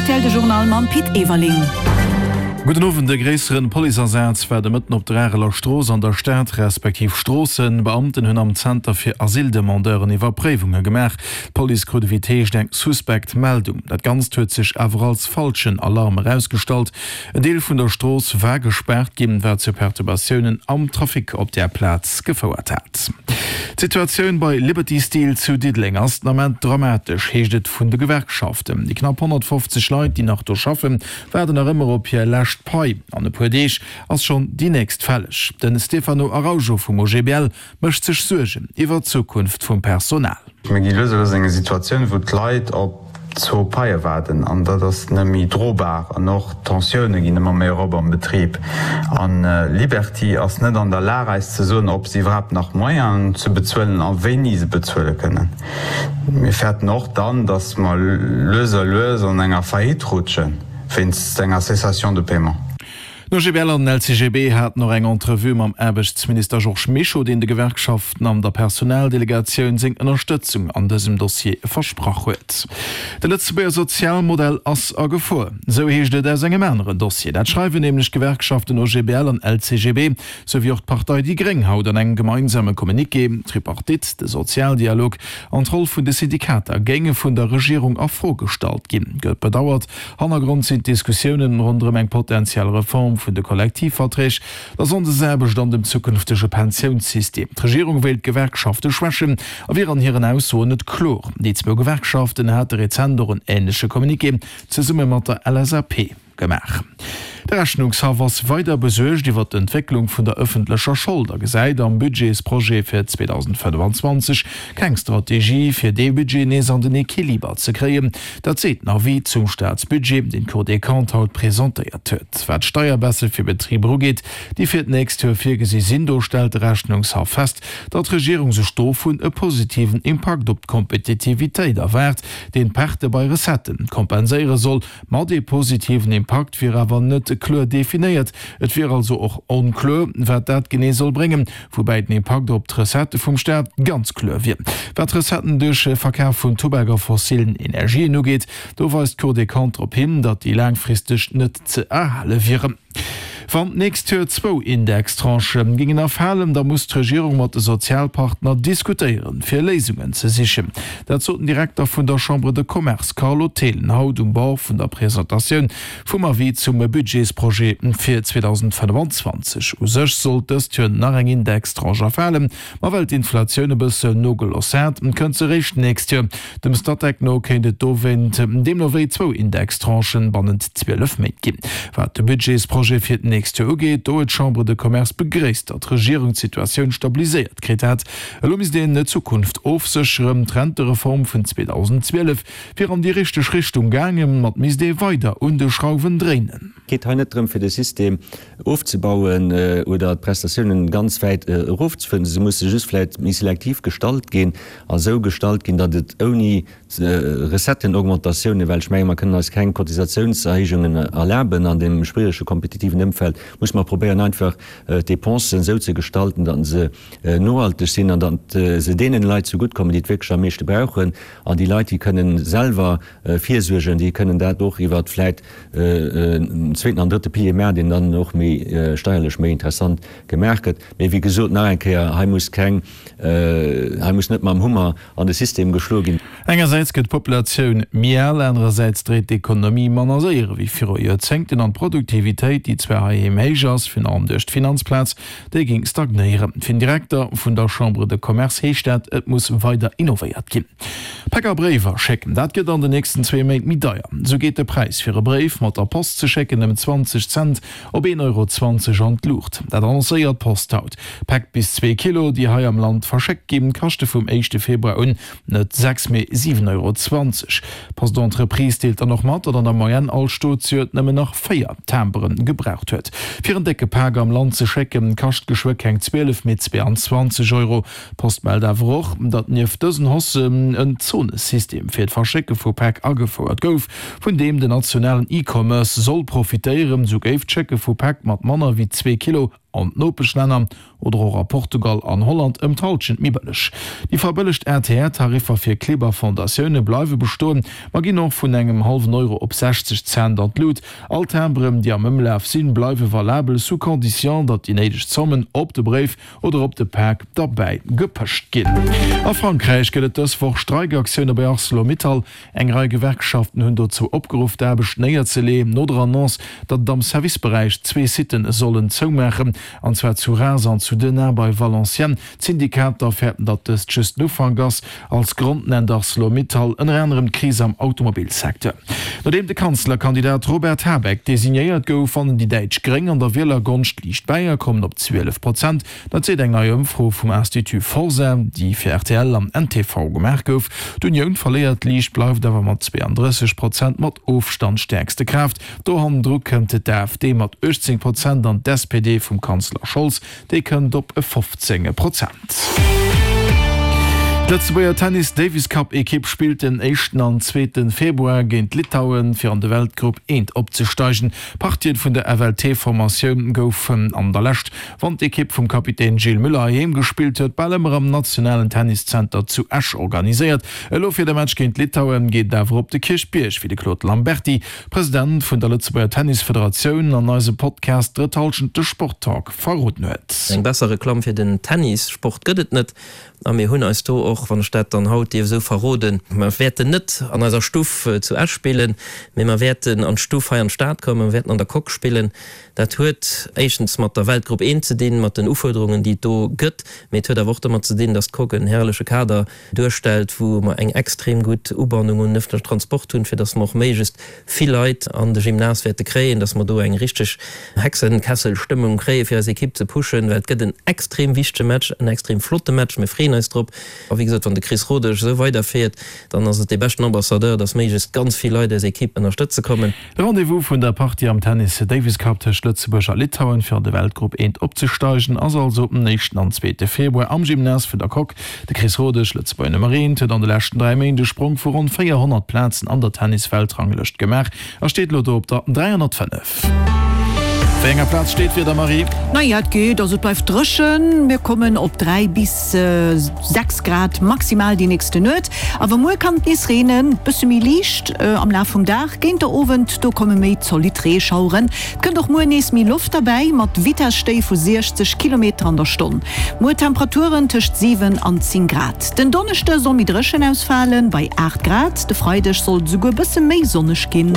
Rtl de Journal mam Pit Everling. Gudden Owend, E gréisseren Policeasaz war de Mëtten op der Areler Strooss an der Stad, respektiv Stroossen. Beamten hunn am Zenter fir Asyldemandeuren Iwwerpréiwunge gemaach. D'Police krut ewéi et heescht eng suspekt Meldung. Dat Ganzt huet sech awer als falschen Alarm erausgestallt. En Deel vun der Strooss war gespaart ginn, wat zu Perturbatiounen am Trafic op där Plaz gefouert hat. D'Situatioun bei Liberty Steel zu Diddeleng ass den Ament dramatesch, heescht et vun de Gewerkschaften. Déi knapp 150 Leit, déi nach do schaffen, waarden nach ëmmer op hir lescht Pai. An e puer Deeg ass schonn déi nächst fälleg. De Stefano Araujo vum OGBL mécht sech Suergen iwwer d'Zukunft vum Personal. Mir gi lues a lues an eng Situatioun, wou d'Leit op zwou Paie waarden an dat ass net méi drobar. An och d'Tensioune ginn ëmmer méi erop am Betrib. A Liberty ass net an der Lag eis ze soen, ob se iwwerhaapt nach Moyenen hunn ze bezuelen a wéini se bezuele kënnen. Mir fäerten och dann, datt mer lues a lues an enger Faillite rutschen, wéinst enger Cessation de paiement. Den OGBL an den LCGB haten och eng Entrevue mam Aarbechtsminister Georges Mischo, deen de Gewerkschaften an der Personaldelegatioun seng Ënnerstëtzung an dësem Dossier versprach huet. De Lëtzebuerger Sozialmodell ass a Gefor, esou heescht et aus engem aneren Dossier. Dat schreiwen nämlech d'Gewerkschaften OGBL an LCGB, sou wéi och d'Partei déi Gréng haut an engem gemeinsame Communiqué. D'Tripartite, de Sozialdialog an d'Roll vun de Syndikater géinge vun der Regierung a Fro gestallt ginn, gëtt bedauert. Hannergrond sinn d'Diskussiounen ronderëm eng potentiell Reform vun de Kollektivverträg, der Sonndesaarbecht an dem zukünftege Pensiounssystem. D'Regierung wéilt d'Gewerkschafte schwächen a wier an hiren Aussoen net kloer. Déi zwou Gewerkschaften hate rezent och en änleche Communiqué zesumme mat der LSAP gemaach. De Rechnungshaff ass weider besuergt iwwer d'Entwécklung vun der ëffentlecher Schold a gesäit am Budgetsprojet fir 2025 keng Strategie, fir dee Budget nees an den Equiliber ze kréien. Dat seet den Avis zum Staatsbudget, deen d'Cour des Comptes haut presentéiert huet. Wat d'Steierbaisse fir Betriber ugeet, déi fir d'nächst Joer virgesi sinn, do stellt de Rechnungshaff fest, datt d'Regierung sech dovun e positiven Impakt op d'Kompetitivitéit erwaart, deen d'Perte bei Recettë kompenséiere soll. Ma dee positiven Impakt wier awer net kloer definéiert. Et wier also och onkloer, wat dat genee soll bréngen. Woubäi den Impakt op d'Recettë vum Staat ganz kloer wier. Wat d'Recetten duerch Verkaf vun Tubak a fossilen Energien ugeet, do weist d'Cour des Comptes drop hin, datt déi laangfristeg net ze erhale wieren. Wann d'nächst Joer zwou Indextranchë géingen erfalen, da muss d'Regierung mat de Sozialpartner diskutéieren, fir Léisungen ze sichen. Dat sot den Direkter vun der Chambre de Commerce Carlo Thelen haut um Bord vun der Presentatioun Vum Avis zum Budgetsprojet fir 2025. U sech sollt dëst Joer nach eng Indextranche erfalen, ma well d'Inflatioun e bëssen nogeloss hat, kënnt se eréischt d'nächst Joer. Dem Statec no kéint et dowéint deemno wéi zwou Indextranchen bannent 12 Méint ginn. Wat de Budgetsprojet fir d'nächst Joer ugeet, do huet d'Chambre de Commerce begréisst, datt d'Regierung d'Situatioun stabiliséiert kritt hat. Elo misst een d'Zukunft ofsécheren. D'Rentereform vun 2012 Wier an déi richteg Richtung gaangen, ma et misst ee weider un de Schrauwen dréinen. Et geet hei net drëm, fir de System ofzebauen oder d'Prestatiounen ganz wäit erofzefueren. Se musse just vläicht méi selektiv gestalt ginn a sou gestalt ginn, datt et ouni Recettenaugmentatiounen, well ech menge mer kënnen eis keng Cotisatiounserhéijungen erlaben an deem schwierege kompetitiven Ëmfeld, musse mer probéieren einfach d'Depensen esou ze gestalten, datt se nohalteg sinn an datt se deenen Leit zegutt kommen, déi et wierklech am meeschte brauchen. An déi Leit, déi kënnen selwer virsuergen, déi kënnen dat och iwwer vläit en zweeten an drëtte Pilier maachen, deen dann och méi steierlech méi interessant gemaach gëtt. Mee wéi gesot, nach eng Kéier, hei muss keng, hei muss net mam Hummer an de System geschloe ginn. Engersäits gëtt d'Populatioun méi al, anerersäits dréit d'Ekonomie manner séier ewéi viru Joerzéngten an d'Produktivitéit, déi zwar heiheem héich ass, virun allem duerch d'Finanzplaz, Déi géing stagnéieren. Fir den Direkter vun der Chambre de Commerce heescht dat, et muss weider innovéiert ginn. Päck a Bréiwer schécken, dat gëtt an den nächsten zwee Méint méi deier. Esou geet de Präis fir e Bréif mat der Post ze schécken ëm 20 Cent op 1,20 Euro an d'Luucht. Dat annoncéiert d'Post haut. Päck bis zwee Kilo, déi hei am Land verschéckt ginn, kaschte vum éischte Februar un Net 6, mee 7,20 Euro. D'Post-Entreprise deelt dann och mat, datt an der Moyenne all Staatsjoert nëmmen nach 4 Timbere gebraucht huet. Fir en décke Pak am Land ze schécken, kascht geschwë keng 12, mee 22 Euro. D'Post mellt awer och, datt nieft dësen Haussen en Zonesystem fir d'Verschécke vu Päck agefouert gouf, vun deem den nationalen E-Commerce soll profitéieren. Sou géif d'Schécke vu Päck mat manner wéi zwee Kilo. An d'Nopeschlänner oder och a Portugal an Holland ëm d'Hallschent méi bëlleg. Déi verbëllegt ATR-Tariffer fir Clibb a Fondatioune bleiwe bestoen, ma ginn och vun engem hallwen Euro op 60 Cent an d'Lut. All Timberen, déi am Ëmlaf sinn, bleiwe valabel, sous condition, datt déi néideg Zommen op de Bréif oder op de Pak derbäi gepëscht ginn. A Frankräich gëtt et dës Woch Streikaktioune bei Arcelor-Mittal. Eng Rei Gewerkschaften hunn dozou opgeruff, d'Aarbecht néierzelee, no der Annonce, datt et am Serviceberäich zwee Sitte sollen zoumaachen, an zwar zu Reims an zu Denain bei Valenciennes. D'Syndikater fäerten, datt dëst just den Ufank ass. Als Grond nennt Arcelor-Mittal ënner anerem d'Kris am Automobilsecteur. Nodeem de Kanzlerkandidat Robert Habeck designéiert gouf, wannen déi däitsch Gréng an der Wielergonscht liicht bäi a kommen op 12 Prozent. Dat seet eng nei Ëmfro vum Institut Forsa, déi fir rtl an ntv gemaach gouf. D'Unioun verléiert liicht, bleift awer mat 32 Prozent mat Ofstand stäerkste Kraaft. Do hannendru kënnt d'AfD mat 18 Prozent an d'SPD vum Kanzler Scholz, déi kënnt op 15 Prozent. D'Lëtzebuerger Tennis Davis Cup Ekipp spillt den éischten an zweete Februar géint Litauen, fir an de Weltgrupp I opzesteigen. D'Partien vun der FLT-Formatioun goufen an der Lescht Wann d'Ekipp vum Kapitän Gilles Müller heiheem gespillt huet, bal ëmmer am nationalen Tenniszenter zu Esch organiséiert. Elo fir de Match géint Litauen geet et awer op de Kierchbierg, wéi de Claude Lamberty, President vun der Lëtzebuerger Tennisfederatioun, an eisem Podcast Drëtt Hallschent, de Sporttalk verroden huet. Eng besser Reklamm fir den Tennissport gëtt et net. A mir hunn eis do och, wann ech dat dann haut dierf esou verroden, mer wäerten net an eiser Stuff zu Esch spillen, mee mer wäerten an d'Stuff hei an d'Stad kommen, mer wäerten an der Coque spillen. Dat huet éischtens mat der Weltgrupp I ze dinn, mat den Ufuerderungen, déi et do gëtt, mee et huet awer och domat ze dinn, dass d'Coque en herrleche Kader duerstellt, wou mer eng extrem gutt Ubannung un den ëffentlechen Transport hunn, fir dass mer och méiglechst vill Leit an de Gymnase wäerte kréien, dass mer do eng richteg Hexenkesselstëmmung kréien, fir eis Ekipp ze pushen, well et gëtt en extrem wichtege Match, en extrem flotte Match. Mir freeën eis drop. A wéi gesot, wann de Chris Rodesch esou weiderfiert, dann ass et dee beschten Ambassadeur, dass méiglechst ganz vill Leit eis Ekipp ënnerstëtze kommen. De Rendez-vous vun der Partie am Tennis Davis Cup tëscht Lëtzebuerg a Litauen, fir an de Weltgrupp I opzesteigen, ass also den éischten an zweete Februar am Gymnase vun der Coque. De Chris Rodesch, Lëtzebuerger Nummer eent, huet an de leschten 3 Méint e Sprong vu ronn 400 Plazen an der Tennis-Weltranglëscht gemaach a steet elo do op der 305. Wéi enger Plaz steet d'Wieder, Marie? Naja, et geet, also et bleift dréchen, mir kommen op 3 bis 6 Grad maximal déi nächste Nuet. Awer muer kann et nees reenen, bësse méi liicht am Laf vum Dag. Géint der Owend do komme méi zolidd Reeschaueren. Et kënnt och muer nees méi Loft derbäi, mat Vitesstéi vu 60 Kilometer an der Stonn. Muer Temperaturen tëscht 7 an 10 Grad. Den Donneschde soll méi dréchen ausfalen, bei 8 Grad. De Freideg soll et esouguer bësse méi sonneg ginn.